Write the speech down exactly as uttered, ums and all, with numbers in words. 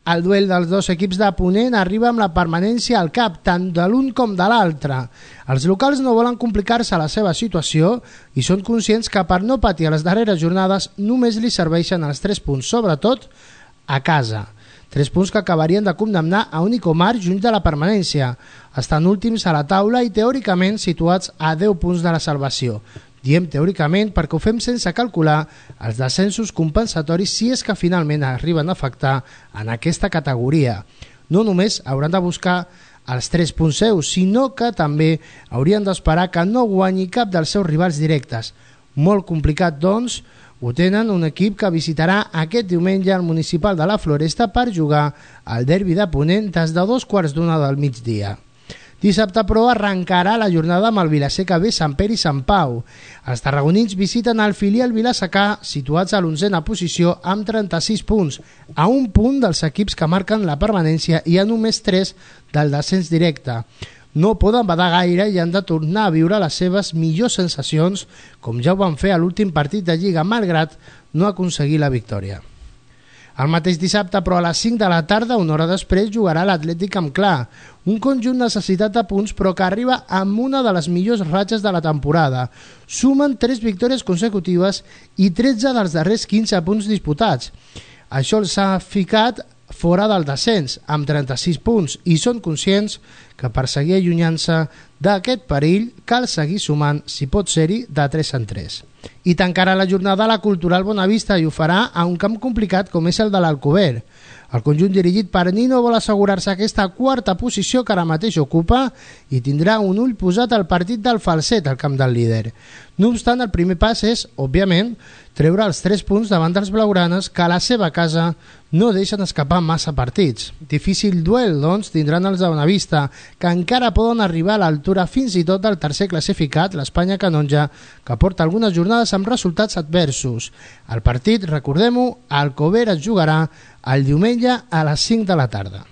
El duel dels dos equips de Ponent arriba amb la permanència al cap, tant de l'un com de l'altre. Els locals no volen complicar-se la seva situació i són conscients que per no patir a les darreres jornades només li serveixen els tres punts, sobretot a casa. Tres punts que acabarien de condemnar a Unicomar juny de la permanència. Estan últims a la taula i teòricament situats a deu punts de la salvació. Diem teòricament perquè ho fem sense calcular els descensos compensatoris si és que finalment arriben a afectar en aquesta categoria. No només hauran de buscar els tres punts seus, sinó que també haurien d'esperar que no guanyi cap dels seus rivals directes. Molt complicat, doncs, ho tenen un equip que visitarà aquest diumenge al Municipal de la Floresta per jugar al derbi de Ponent des de dos quarts d'una del migdia. Dissabte, però, arrencarà la jornada amb el Vilaseca B, Sant Pere i Sant Pau. Els tarragonins visiten el filial vilassecà, situats a l'onzena posició amb trenta-sis punts, a un punt dels equips que marquen la permanència i a només tres del descens directe. No poden badar gaire i han de tornar a viure les seves millors sensacions, com ja ho van fer a l'últim partit de Lliga, malgrat no aconseguir la victòria. El mateix dissabte, però a les cinc de la tarda, una hora després, jugarà l'Atlètic amb Clar, un conjunt necessitat de punts però que arriba amb una de les millors ratxes de la temporada. Sumen tres victòries consecutives i tretze dels darrers quinze punts disputats. Això els ha ficat fora del descens, amb trenta-sis punts, i són conscients que per seguir allunyant-se d'aquest perill cal seguir sumant, si pot ser-hi, de tres en tres. I tancarà la jornada la Cultural Bonavista i ho farà a un camp complicat com és el de l'Alcover. El conjunt dirigit per Nino vol assegurar-se aquesta quarta posició que ara mateix ocupa i tindrà un ull posat al partit del Falset al camp del líder. No obstant, el primer pas és, òbviament, treure els tres punts davant dels blaugranes que a la seva casa no deixen escapar massa partits. Difícil duel, doncs, tindran els de Bonavista, que encara poden arribar a l'altura fins i tot del tercer classificat, l'Espanya Canonja, que porta algunes jornades amb resultats adversos. El partit, recordem-ho, al Alcover es jugarà el diumenge a les cinc de la tarda.